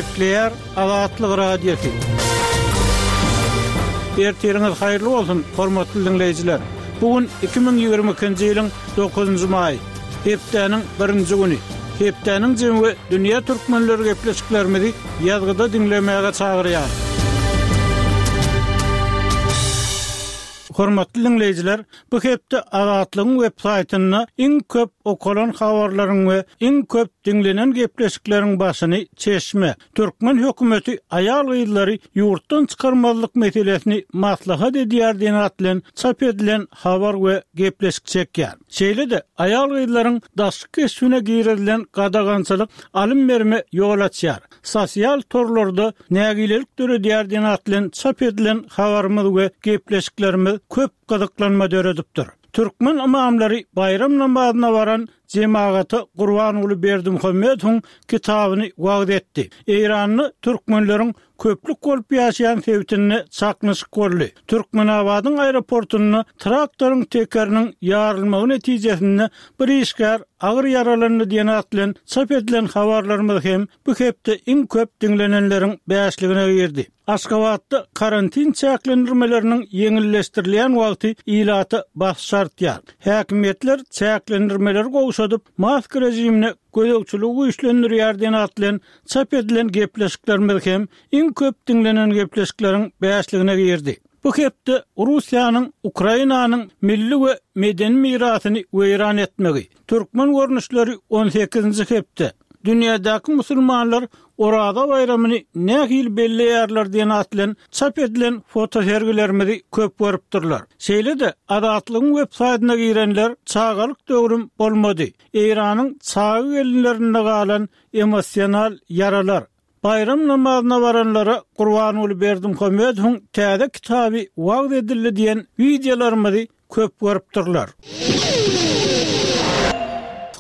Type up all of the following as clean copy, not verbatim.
Gepleýär Azatlyk Radiosy. Ertiriňiz haýyrly bolsun, hormatly diňleýjiler! Bu gün 2022-nji ýylyň dokuzynjy maýy, hepdäniň birinji güni. Hepdäniň jemi we dünýä türkmenleri gepleşiklerimizi ýazgyda diňlemäge çagyrýar. Hormatly diňleýjiler, bu hepde Azatlygyň web saýtynda iň köp okalan habarlaryň we iň köp diňlenen gepleşikleriň başyny Çeşme, Türkmen hökümeti aýal-gyzlary ýurtdan çykarmazlyk meselesini maslahat edýär diýen at bilen çap edilen habar we gepleşik çekýär. Şeýle-de, aýal-gyzlaryň daşky keşbine girizilen gadagançylyk alym-berime ýol açýar, sosial torlarda nägilelik döredýär diýen at bilen çap edilen habarymyz we gepleşiklerimiz köp gyzyklanma döredipdir. Türkmen ymamlary baýram namazyna baran jemagata Gurbanguly Berdimuhamedowyň kitabyny wagyz etdi. Eýranda türkmenleriň köplük bolup ýaşaýan sebitinde çaknyşyk boldy. Türkmenabadyň aeroportunda traktoryň tekeriniň ýarylmagy netijesinde bir işgär agyr ýaralandy diýen at bilen çap edilen habarlarymyz hem bu hepde iň köp diňlenenleriň bäşligine girdi. Aşgabatda karantin çäklendirmeleriniň ýeňilleşdirilýän wagty ilata basyş artýar. Häkimiýetler çäklendirmeleri gowşadyp, maska režimine gözegçiligi güýçlendirýär diýen at bilen çap edilen gepleşiklerimiz hem iň köp diňlenen gepleşikleriň bäşligine girdi. Bu hepde Russiýanyň Ukrainanyň milli we medeni mirasyny weýran etmegi, Türkmen görnüşleri on sekizinji hepde, Dünýädäki musulmanlar Oraza baýramyny nähili belleýärler diýen at bilen çap edilen fotosergilerimizi köp görüpdirler. Şeýle-de, Azatlygyň web saýtyna girenler Çagalyk döwrüm bolmady, Eýranyň çaga gelinlerinde galan emosional ýaralar, Baýram namazyna baranlara Gurbanguly Berdimuhamedowyň täze kitaby wagyz edildi diýen wideolarymyzy köp görüpdirler.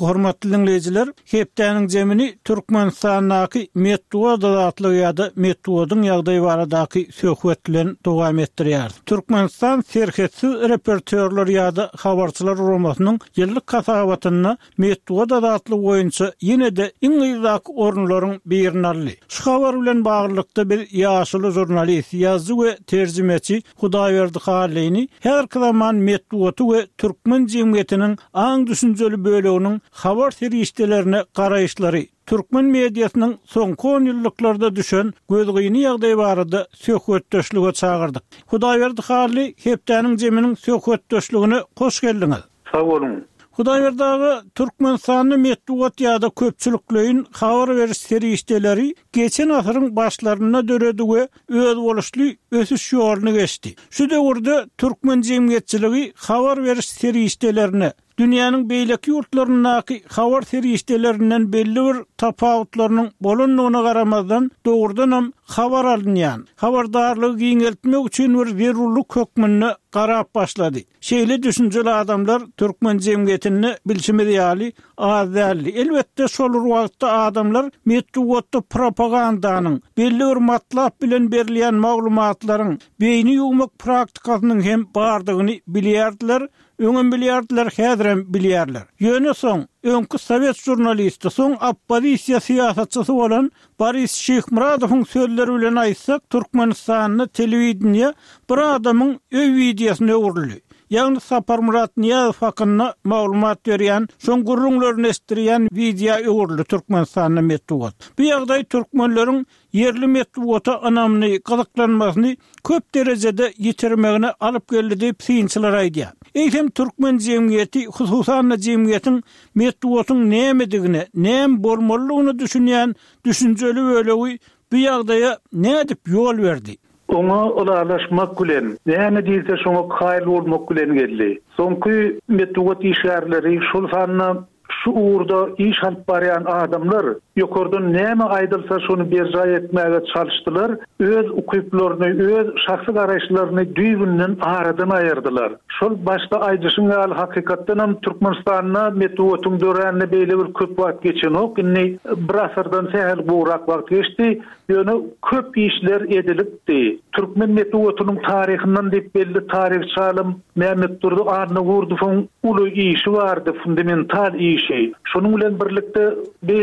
Hormatly diňleýjiler, hepdäniň jemini Türkmenistandaky metbugat azatlygy ýa-da metbugatyň ýagdaýy baradaky söhbet bilen dowam etdirýäris. Türkmenistan serhetsiz reportýorlar ýa-da habarçylar guramasynyň ýyllyk hasabatynda Metbugat azatlygy boýunça ýene-de iň yzdaky orunlaryň birini aldy. Şu habar bilen baglylykda biz ýaşuly žurnalist, ýazyjy we terjimeçi Hudaýberdi Hallyny häzirki zaman metbugaty we türkmen jemgyýetiniň aň-düşünjeli böleginiň habar serişdelerine garaýyşlary, türkmen mediasynyň soňky onýyllyklarda düşen gözgyny ýagdaýy barada söhbetdeşlige çagyrdyk. Hudaýberdi Hally, Hepdäniň jeminiň söhbetdeşligine hoş geldiňiz! Sag boluň. Hudaýberdi aga, Türkmenistanda metbugat ýa-da köpçülikleýin habar beriş serişdeleri geçen asyryň başlarynda döredi we özboluşly ösüş ýoluny geçdi. Şu döwürde türkmen jemgyýetçiligi habar beriş serişdelerine dünýäniň beýleki ýurtlaryndaky habar serişdelerinden belli bir tapawutlarynyň bolandygyna garamazdan, dogrudanam habar alynýan, habardarlygy giňeltmek üçin bir zerurlyk hökmünde garap başlady. Şeýle düşünjeli adamlar türkmen jemgyýetinde bilşimiz ýaly az däldi. Elbetde şol bir wagtda adamlar metbugatda propagandanyň, belli bir matlap bilen berilýän maglumatlaryň, beýni ýuwmak praktikasynyň hem bardygyny bilýärdiler, öňem bilýärdiler, häzirem bilýärler. Ýöne soň, öňki sowet žurnalisti, soň oppozisiýa syýasatçysy bolan Boris Şyhmyradowyň sözleri bilen aýtsak, Türkmenistanda telewideniýe bir adamyň öý wideosyna öwrüldi. Ýagny Saparmyrat Nyýazow hakynda maglumat berýän, şoň gürrüňlerini eşitdirýän wideo öwrüldi Türkmenistanda metbugat. Bu ýagdaý türkmenleriň ýerli metbugata ynamyny, gyzyklanmasyny köp derejede ýitirmegine alyp geldi diýip synçylar aýdýar. Eýsem türkmen jemgyýeti, hususan-da jemgyýetiň metbugatyň nämedigine, näme bolmalydygyna düşünýän düşünjeli bölegi bu ýagdaýa nädip ýol berdi? Oňa ylalaşmak bilen, näme diýilse şoňa kaýyl bolmak bilen geldi. Soňky metbugat işgärleri, şol sanda şu ugurda iş alyp barýan adamlar ýokardan näme aýdylsa şony berjaý etmäge çalyşdylar, öz ukyplaryny, öz şahsy garaýyşlaryny düýbünden aradan aýyrdylar. Şol başda aýdyşyň ýaly hakykatdanam Türkmenistanda metbugatyň döränine beýle bir köp wagt geçenok, indi bir asyrdan sähel gowrak wagt geçdi, ýöne köp işler edilipdi. Türkmen metbugatynyň taryhyndan diýip belli taryhçy alym Mämmetdurdy Annagurdowyň uly işi bardy, fundamental işi. Şonuň bilen birlikde beýle.